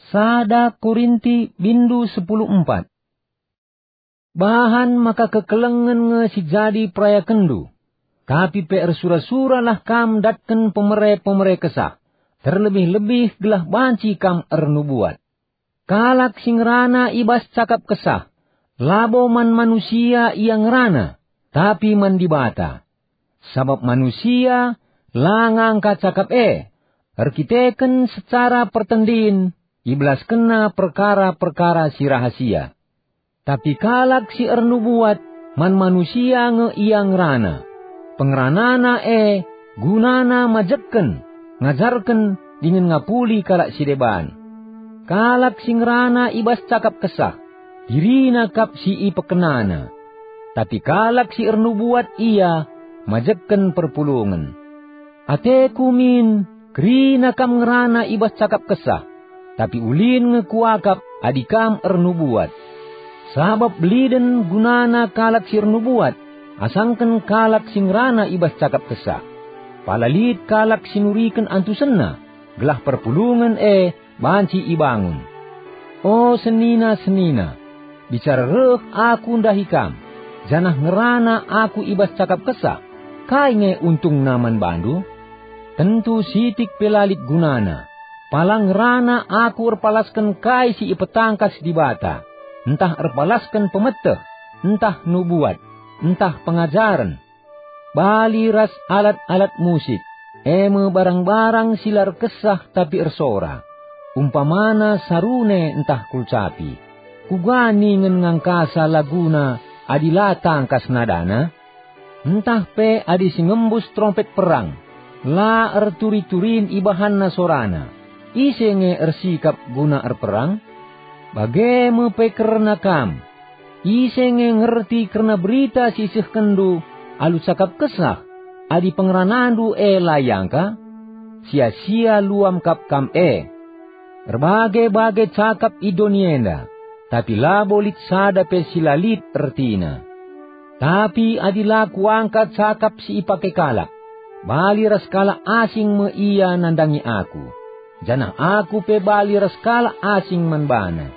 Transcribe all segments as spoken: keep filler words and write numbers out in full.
Sada Korinti bindu sepuluh empat. Bahan maka kekelengen nge si jadi perayakenndu, tapi pe ersura-suralah kam ndatken pemere-pemere Kesah, terlebih-lebih gelah banci kam ernubuat. Kalak si ngerana i bas cakap Kesah, labo man manusia ia ngerana, tapi man Dibata. Sabap manusia la ngangka cakap e, erkiteken secara pertendin ibelaskenna perkara-perkara si rahasia. Tapi kalak si ernubuat, man manusia nge ia ngerana. Pengeranana e gunana majekken, ngajarken, dingen ngapuli kalak si deban. Kalak si ngerana i bas cakap Kesah, dirina kap si ipekenana. Tapi kalak si ernubuat ia majekken perpulungen. Ateku min, kerina kam ngerana i bas cakap Kesah, tapi ulin nge kuakap adi kam ernubuat. Sabap beliden gunana kalak si ernubuat, asangken kalak si ngerana i bas cakap Kesah. Pala lit kalak si nuriken antusenna, gelah perpulungen e banci ibangun. O senina-senina, bicara reh aku ndahi kam, janah ngerana aku i bas cakap Kesah, kai nge untungna man bandu? Tentu sitik pe la lit gunana. Pala ngerana aku erpalasken kai si ipetangkas Dibata, ntah erpalasken pemeteh, ntah nubuat, ntah pengajaren, bali ras alat-alat musik, e me barang-barang si la erkesah tapi ersora, umpamana sarune ntah kulcapi. Kuga ningen ngangkasa laguna adi la tangkas nadana? Ntah pe adi si ngembus terompet perang, la erturi-turin ibahanna sorana, ise nge ersikap guna erperang? Bage me pe kerna kam. Ise nge ngerti kerna berita si isehkenndu alu cakap Kesah, adi pengeranandu e la iangka? Sia-sia luam kap kam e. Erbage-bage cakap i doni enda, tapi labo lit sada pe si la lit ertina. Tapi adi la kuangka cakap si ipake kalak, bali ras kalak asing me ia nandangi aku, janah aku pe bali ras kalak asing man bana.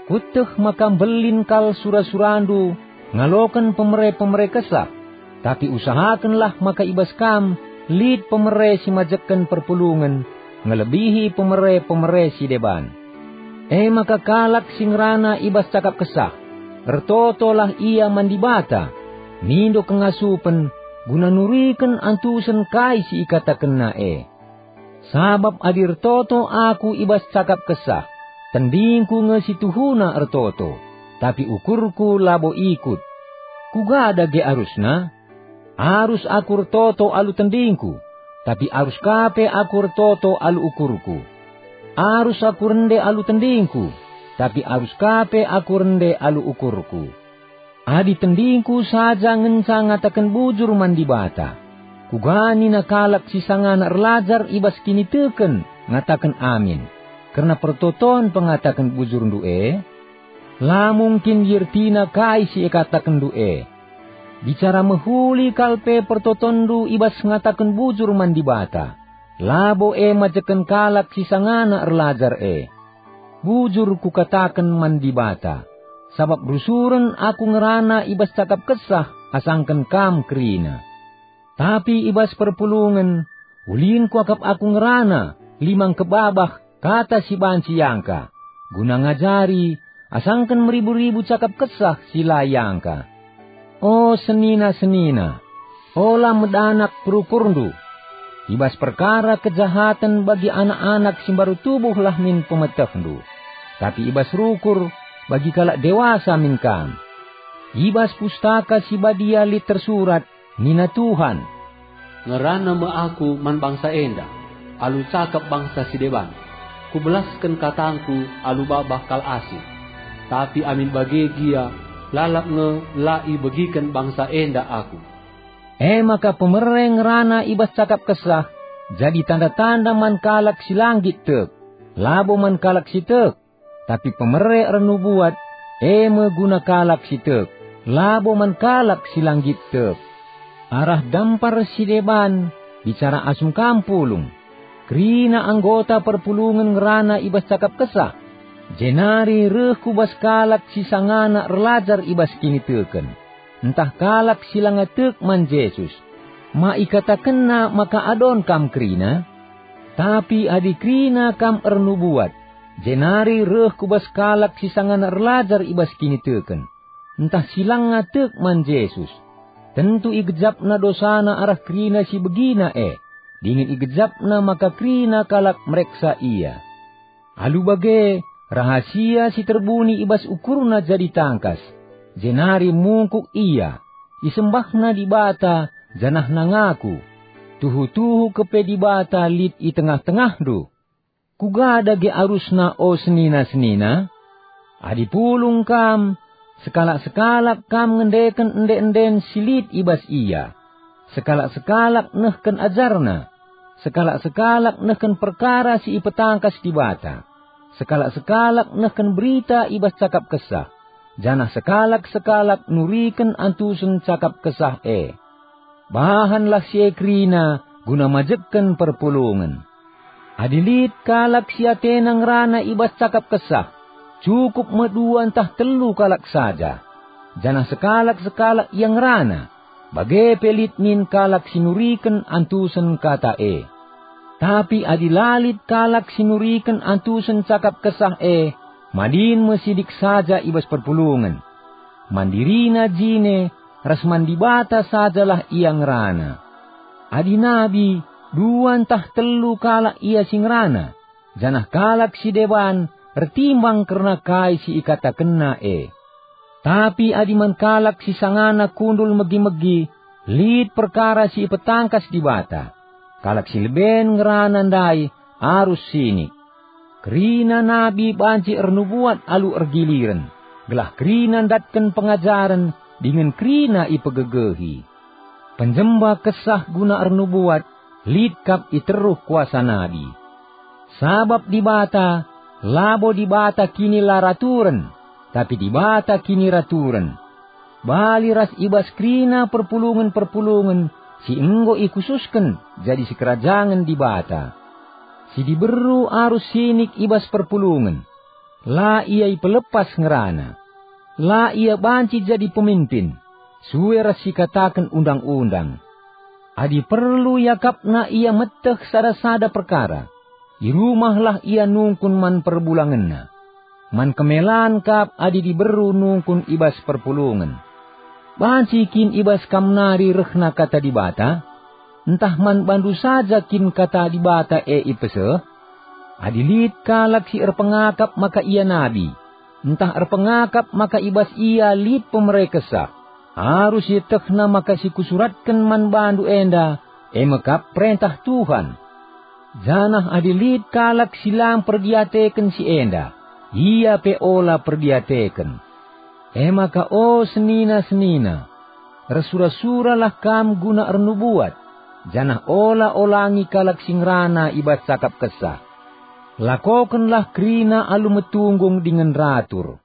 Kueteh maka mbelin kal sura-surandu ngaloken pemere-pemere Kesah, tapi usahakenlah maka i bas kam lit pemere si majekken perpulungen ngelebihi pemere-pemere si deban. E maka kalak si ngerana i bas cakap Kesah, ertotolah ia man Dibata, mindo kengasupen guna nuriken antusen kai si ikatakenna e. Sabap adi ertoto aku i bas cakap Kesah, tendingku nge si tuhuna ertoto, tapi ukurku labo ikut. Kuga dage arusna? Arus aku ertoto alu tendingku, tapi arus ka pe aku ertoto alu ukurku. Arus aku rende alu tendingku, tapi arus ka pe aku rende alu ukurku. Adi tendingku saja ngenca ngataken bujur man Dibata, kuga nina kalak si sangana erlajar i bas kiniteken ngataken amin, kerna pertoton pengataken bujurndu e? La mungkin iertina kai si ikatakenndu e. Bicara mehuli kal pe pertotonndu i bas ngataken bujur man Dibata, labo e majekken kalak si sangana erlajar e. Bujur kukataken man Dibata, sabap rusuren aku ngerana i bas cakap Kesah asangken kam kerina. Tapi i bas perpulungen, ulin kuakap aku ngerana, limang kebabah, kata si banci iangka, guna ngajari, asangken meribu-ribu cakap Kesah si la iangka. O senina-senina, ola medanak perukurndu. I bas perkara kejahaten bagi anak-anak si mbaru tubuhlah min pemetehndu, tapi i bas rukur bagi kalak dewasa min kam. I bas Pustaka Si Badia lit tersurat, nina Tuhan, "Ngerana me Aku man bangsa enda, alu cakap bangsa si deban. Kubelasken katangKu alu babah kal asing. Tapi amin bage gia, lalap nge la ibegiken bangsa enda Aku." E maka pemere ngerana i bas cakap Kesah jadi tanda-tanda man kalak si la nggit tek, labo man kalak si tek, tapi pemere ernubuat, e me guna kalak si tek, labo man kalak si la nggit tek. Arah dampar si deban, bicara asum kam pulung. Kerina anggota perpulungen ngerana i bas cakap Kesah, jenari reh ku bas kalak si sangana erlajar i bas kiniteken, ntah kalak si langa tek man Jesus. Ma ikatakenna maka adon kam kerina? Tapi adi kerina kam ernubuat, jenari reh ku bas kalak si sangana erlajar i bas kiniteken, ntah si langa tek man Jesus, tentu igejapna dosana arah kerina si begina e, dingen igejapna maka kerina kalak mereksa ia. Alu bage, rahasia si terbuni i bas ukurna jadi tangkas, jenari mungkuk ia, isembahna Dibata, janahna ngaku, "Tuhu-tuhu kepe Dibata lit i tengah-tengahndu." Kuga dage arusna, o senina-senina? Adi pulung kam, sekalak-sekalak kam ngendeken ende-enden si lit i bas ia, sekalak-sekalak nehken ajarna, sekalak-sekalak nehken perkara si ipetangkas Dibata, sekalak-sekalak nehken berita i bas cakap Kesah, janah sekalak-sekalak nuriken antusen cakap Kesah e. Bahanlah si e kerina guna majekken perpulungen. Adi lit kalak si atena ngerana i bas cakap Kesah, cukup me dua ntah telu kalak saja, janah sekalak-sekalak ia ngerana, bage pe lit min kalak si nuriken antusen kata e. Tapi adi la lit kalak si nuriken antusen cakap Kesah e, madin me sidik saja i bas perpulungen. Man dirina jine ras man Dibata sajalah ia ngerana. Adi nabi, dua ntah telu kalak ia si ngerana, janah kalak si deban ertimbang kerna kai si ikatakenna e. Tapi adi man kalak si sangana kundul megi-megi lit perkara si ipetangkas Dibata, kalak si leben ngerana ndai arus sinik. Kerina nabi banci ernubuat alu ergiliren, gelah kerina ndatken pengajaren dingen kerina ipegegehi. Penjemba Kesah guna ernubuat lit kap i teruh kuasa nabi. Sabap Dibata labo Dibata kinilaraturen, tapi Dibata kiniraturen. Bali ras i bas kerina perpulungen-perpulungen si enggo ikhususken jadi sikerajangen Dibata. Si diberu arus sinik i bas perpulungen. La ia ipelepas ngerana. La ia banci jadi pemimpin, sue ras sikataken undang-undang. Adi perlu iakapna ia meteh sada-sada perkara, i rumahlah ia nungkun man perbulangenna. Man kemelan kap adi diberu nungkun i bas perpulungen. Banci kin i bas kam nari rehna Kata Dibata? Ntah man bandu saja kin Kata Dibata e ipeseh? Adi lit kalak si erpengakap maka ia nabi, ntah erpengakap maka i bas ia lit pemere Kesah, arus ietehna maka si kusuratken man bandu enda, e me kap perentah Tuhan. Janah adi lit kalak si la mperdiateken si enda, ia pe ola perdiateken. E maka, o senina-senina, ersura-suralah kam guna ernubuat, janah ola olangi kalak si ngerana i bas cakap Kesah. Lakokenlah kerina alu metunggung dingen ratur.